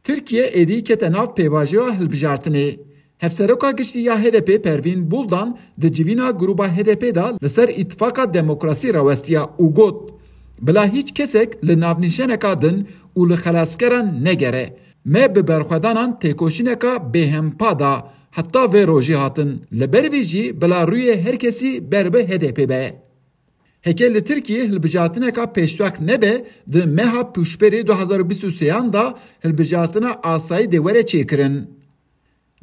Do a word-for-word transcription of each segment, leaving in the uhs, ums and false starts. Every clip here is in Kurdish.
Tirkiye êdî kete nav pêvajoya hilbijartinê. Hevseroka giştî ya H D P Pervîn Buldan di civîna grûba H D P de li ser îtifaka demokrasî rawestiya û got, bila hîç kesek li navnîşeneka din û li xelaskeran negere. Me bi berxwedanan têkoşîneka bêhempa da heta vê rojî hatin. Li ber vî jî bila rûyê her kesî ber bi H D P be. Heke li Tirkiyê hilbijartineka pêşwext nebe, di meha Pûşberê du hezar û bîst û sêyan de hilbijartina asayî dê were çêkirin.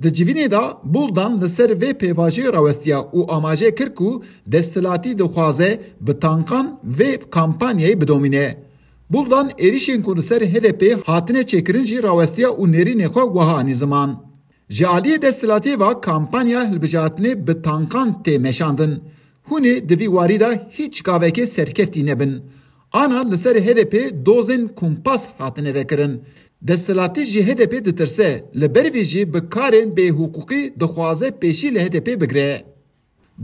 Di civînê de Buldan li ser vê pêvajoyê rawestiya û amaje kir ku desthilatî dixwaze bi tankan vê kampanyayê bidomîne. Buldan êrîşên ku li ser H D P hatine çêkirin jî rawestiya û nêrînê xwe wiha anî ziman. Ji aliyê desthilatê ve kampanya hilbijartinê bi tankan tê meşandin. Hûn ê di vî warî de hîç gavekê serkeftî nebin. Ana li ser H D P dozên kumpas hatine vekirin. Desthilatî ji H D P ditirse, li ber vê jî bi karên bêhiqûqî dixwaze pêşî li H D P bigire.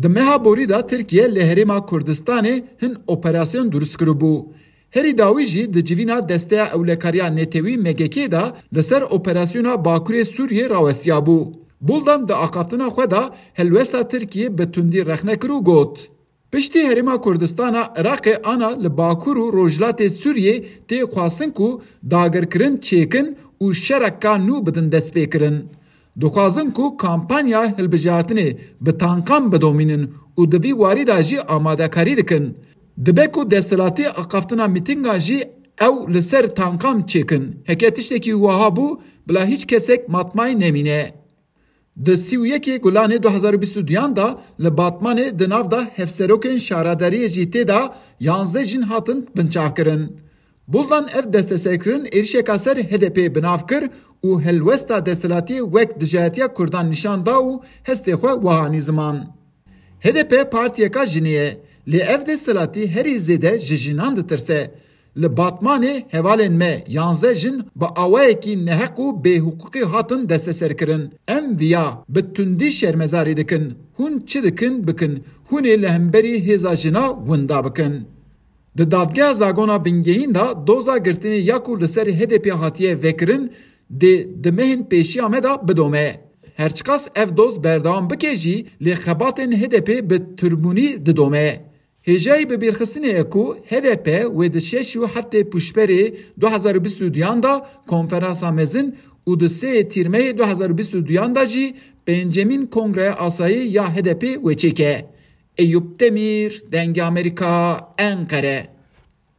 Di meha borî de Tirkiye li Herêma Kurdistanê hin operasyon durust kiribû. Herî dawî jî di civîna Desteya Ewlekariya Netewî M G K de li ser operasyona Bakurê Sûriyê rawestiyabû. Buldan di axaftina xwe de helwesta Tirkiyê bi tundî rexne kir û got, Piştî Herêma Kurdistana Iraqê ana li Bakur û Rojhilatê Sûriyê tê xwestin ku dagirkirin çêkin û şereka nû bidin destpêkirin. Dixwazin ku kampanya hilbijartinê bi tankan bidomînin û di vî warî de jî amadekarî dikin. Dibe ku desthilatî axaftina mîtîngan jî ew li ser tankan çêkin. Heke tiştekî wiha bû, bila hîç kesek matmayî nemîne. Di sî û yekê Gulanê du hezar û bîst û duyan de li Batmanê di nav de hevserokên şaredariyê jî tê de yanzdeh jin hatin binçavkirin. Buldan ev desteserkirin êrişeka ser H D P bi nav kir û helwesta desthilatiyê wek dijayetiya Kurdan nîşan da û hestê xwe wiha anî ziman. H D P partiyeka jinê ye, lê ev desthilatî herî zêde ji jinan ditirse. Li Batmanê hevalên me yanzdeh jin bi awayekî neheq û bêhiqûqî hatin desteserkirin. Em viya bi tundî şermezarî dikin. Hûn çi dikin bikin, hûn ê li hemberî hêza jina winda bikin. Di dadgeha Zagona Bingehîn de doza girtinê ya ku li ser H D P hatiye vekirin, dê di mehên pêşiya me de bidome. Herçiqas ev doz berdewam bike jî, lê xebatên H D P bi tirmûnî didome. Hêjayî bibîrxistinê ye ku H D P wê di şeş û heftê Pûşberê du hezar û bîst û duyan de konferansa mezin û di sê Tîrmeyê du hezar û bîst û duyan de jî pêncemîn Kongreya Asayî ya H D P wê çêke. Eyûp Demîr, Dengê Amerîka, Enqere.